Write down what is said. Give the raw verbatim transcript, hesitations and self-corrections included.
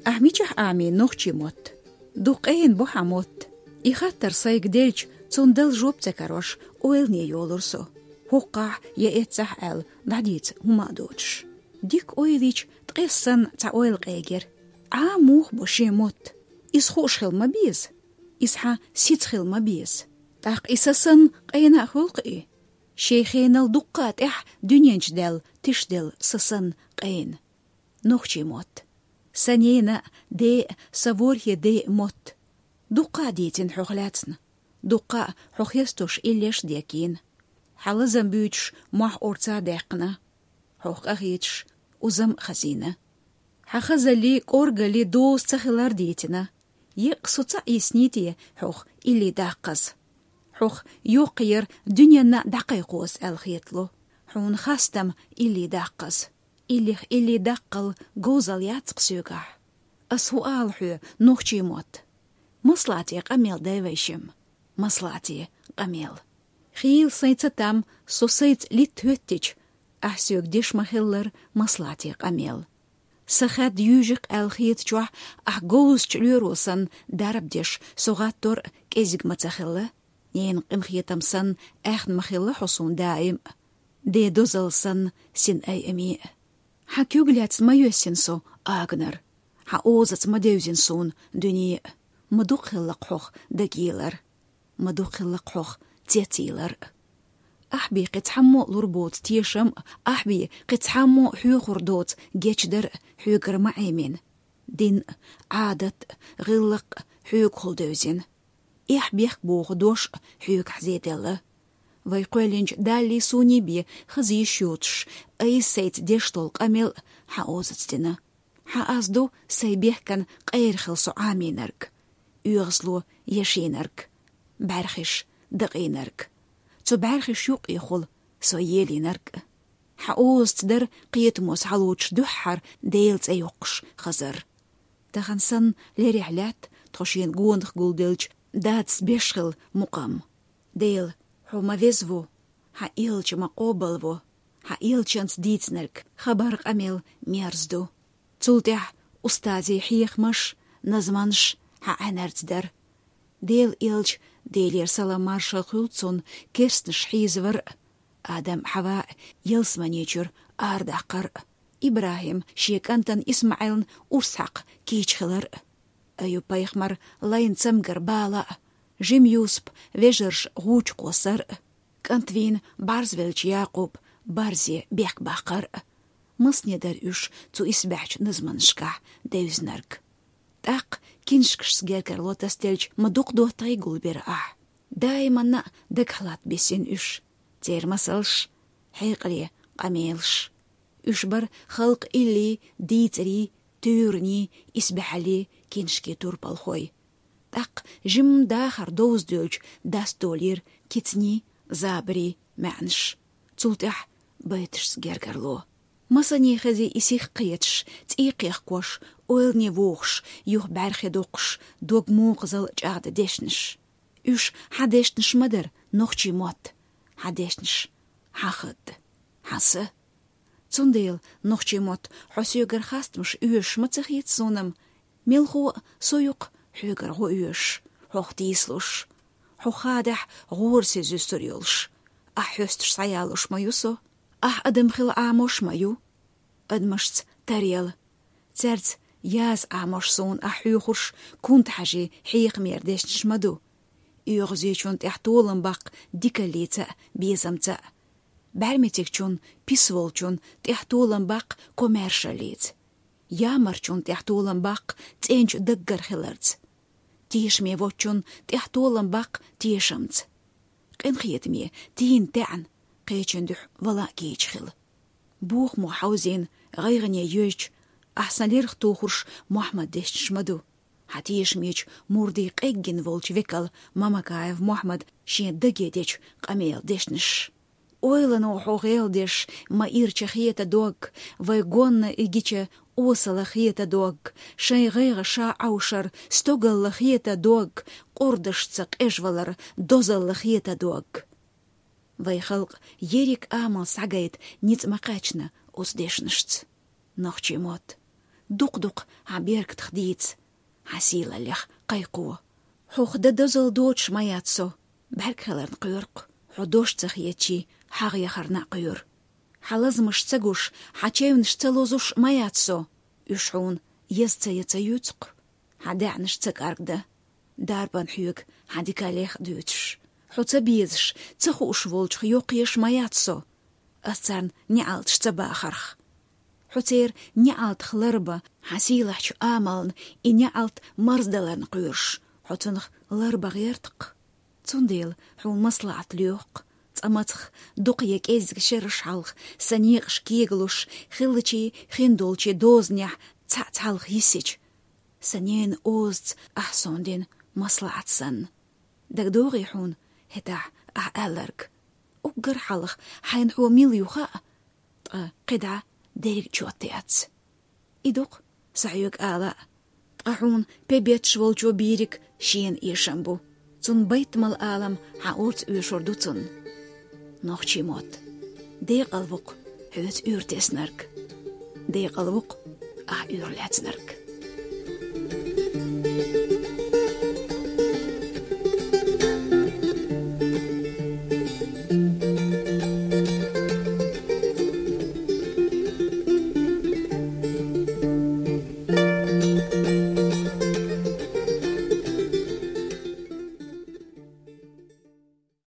Ахь мичахь Ӏамий, нохчий мотт? Дукха къена бу хьан мотт. И хаттар сайга делча, цунна дала жоп ца карош, ойлане йолура со. ХӀокхахь я эццахь аьлла, дӀадийца хӀума а доцуш. Дика ойлича, ткъес санна цхьа ойла къегира. Ӏама муха бу шен мотт? Иза хууш хила ма беза. Иза хьан сица хила ма беза. ТӀаккха и са санна къена а хуьлу-кх и. Шен хенал дуккха а тӀаьхьа дуьнен чу даьлла, тишделла са санна къена. Нохчий мотт. Сан ненан а, ден а, сан ворхӀе ден а мотт. Дуккха а дийцина хьох лаьцна. Дуккха а хьо хестош иллеш а декийна. Хьан лазам буьйцуш мохь орца а даьккхина. Хьох къахеташ узам а хазийна. Хьан хазалли, кӀоргалли доза ца хилар дийцина. Еккъа со ца Ӏийсний те хьох илли даккхаза? Хьох йоккха яр дуьненна а дӀакхайкхоза аьлла хетало. Хьуна хастам илли даккхаза. Иллих илли даккхал говзал яц-кх соьгахь. Ас хӀун ала хьоьга, нохчий мотт? МаслаӀате къамел дай вай шимма. МаслаӀате къамел. Хийла сайн ца там, со сайца литта хӀоьттича, ахь соьга деш ма хиллара маслаӀате къамел. Сан хад юьйжи-кх аьлла хетачохь, ахь говзачу лоьро санна дарба деш, со гӀаттор а кӀезиг ма ца хилла. Ненан къинхетам санна, аьхна ма хилла хьо суна даим а. Ден дозалла санна, син айаме а. Хьан куьг лаьцна ма йоьссина со агнар. Хьан озаца ма девзина суна дуьне а. Ма дукха хилла-кх хьох дагийлар. Ма дукха хилла-кх хьох цецйийлар а. Ахь бен кхин цхьаммо а лур боцу тешам а, ахь бен кхин цхьаммо а хьоьхур доцу гечдар а хьоьгара ма Ӏемина. Дин а, Ӏадат а, гӀиллакх а хьоьгахула девзина. Эхь-бехк боху дош а хьоьгахь зеделла. Вай кхоьллинчу Даллий суний бен хаза йиш йоцуш, айса сайца деш долу къамел а хьан озаца дина. Хьан аз ду сайн бехкан къера хила со Ӏамийнарг, оьгӀазло ешийнарг, бӀаьрхиш дакъийнарг, цу бӀаьрхиш юккъехула со елийнарг а. Хьан озаца дара кхетамо схьалоцуш дуьххьара Делан цӀе йоккхуш хазар. Тахана санна лерехь лаьтта тхо шена гонах гулделча дадас беш хила мукъам. Дела, хьо ма веза ву, хьан элча ма къобал ву, хьан элчанца дийцинарг хабар, къамел мерза ду. Цул тӀаьхьа устазийн хьехамаш, назманаш хьан Ӏаьнарца дара. Делан элча, Делера салам-маршалла хуьлда цунна, керстанаш хьийзавар а, Адам а, Хьава а ялсамани чуьра арадаккхар а, ИбрахӀим шен кӀантана ИсмаӀилна урс хьакха кийча хилар а, Аюб-пайхамар лайна цамгар бала а, жима Юсуп вежарша гӀу чу кхоссар а, кӀант вийна бӀарзвеллачу Якъуб барзе бехк баккхар а. Масане дара уьш цу исбаьхьчу назманашкахь девзинарг. ТӀаккха киншкашца гергарло тасаделча ма дукха доттагӀий гулбира ахь. Даиманна а дагахь латта бисина уьш. Церан масалш, хьекъале къамелаш. Уьш бара халкъан илли, дийцарий, туьйранний, исбаьхьаллий киншкийн турпалхой. ТӀаккха жимма дахар довза доьлча дастолийра кицаний, забарий маьӀнаш. Цул тӀаьхьа байташца гергарло. Масане хези и сих кхеташ, цӀий кхехкош, ойлане вохуш, юха бӀаьрхе доккхуш, дог мукъазалла чӀагӀдан дешнаш. Уьш хьан дешнаш ма дара, нохчий мотт. Хьан дешнаш, хьан хатта, хьан са. Цундела, нохчий мотт, хьо соьгара хастамаш оьшуш ма ца хета суна-м, мелхо а со ю-кх хьоьгара гӀо оьшуш, хьох тийсалуш, хьо хадахь гӀорасиз юьсур йолуш. Ахь хьоьстуш схьаялуш ма ю со, ахь адам хила Ӏамош ма ю. Адамашца таръяла, цаьрца яза Ӏамош суна ахь хьоьхурш кунта хьажий хьехамера дешнаш ма ду. ОьгӀазечунна тӀехь толам баккха дикаллица а, безамца а. БӀаьрмецигчунна, пис волчунна тӀехь толам баккха комаьршаллица. Ямарчунна тӀехь толам баккха цӀенчу даггара хиларца. Тешаме воцчунна тӀехь толам баккха тешамца. Къинхетаме, тийна таьӀна, кхечун дуьхьа вала а кийча хила. Бохамо хьовзийна, гӀайгӀане йоьзча, ахь сан лерах тухурш Мохьмад дешнаш ма ду. Хьан тешамечу мурдийн къеггина волчу векал Мамакаев Мохьмад шен даге дечу къамел дешнаш. Ойлано хьо гӀел деш, ма ирча хета дог, вай гонна и гича осала хета дог, шайн гӀайгӀа ша Ӏовшар стогалла хета дог, къурдашца къежвалар дозалла хета дог. Вай халкъ ерриг амал схьагайта ницкъ ма кхаьчна оцу дешнашца. Нохчийн мотт, дукха-дукха хьан беркатах дийца, хьан сийлаллех кхайкхо. Хьох дан дозалла доцуш ма яц со, бӀаьрг хиларна кхоьру-кх, хьо дош ца хетачийн хьагӀ яхарна а кхоьру. Хьан лазамаш ца гуш, хьан чевнаш ца лозуш ма яц со, уьш хьуна еза ца ян ца юьйцу-кх. Хьан даьӀнаш ца кӀаргдан, дарбан хьоьга хьан дикаллех а дуьйцуш. Хьо ца безаш, ца хууш волчух йоккхаеш ма яц со, ас царна неӀалташ ца бахарх. Хьо церан неӀалтах ларбан, хьан сийлахьчу амална и неӀалт марздаларна кхоьруш, хьо цунах ларбан гӀерта-кх. Цундела хьуна маслаӀат лоьху-кх, цкъа мацах дукха я кӀеззиг шераш хьалха сан некъаш кегалуш, хиллачийн хиндолчийн дозанехь цхьаъ цхьалха йисича, сан ненан озаца ахь суна дина маслаӀат санна. ДагадогӀий хьуна хӀетахь ахь аьлларг? Уггар хьалха хьайна хьо мила ю хаьа, ткъа кхидӀа дерриг чот яц. И ду-кх, сан хьоьга ала а, ткъа хьуна пе бетташ волчо бийриг шена эшам бу. Цунна байтамал алам хьан орца оьшур ду цунна. Нохчийн мотт, декъал ву-кх хьоьца уьйр теснарг. Декъал ву-кх ахь уьйр лаьцнарг.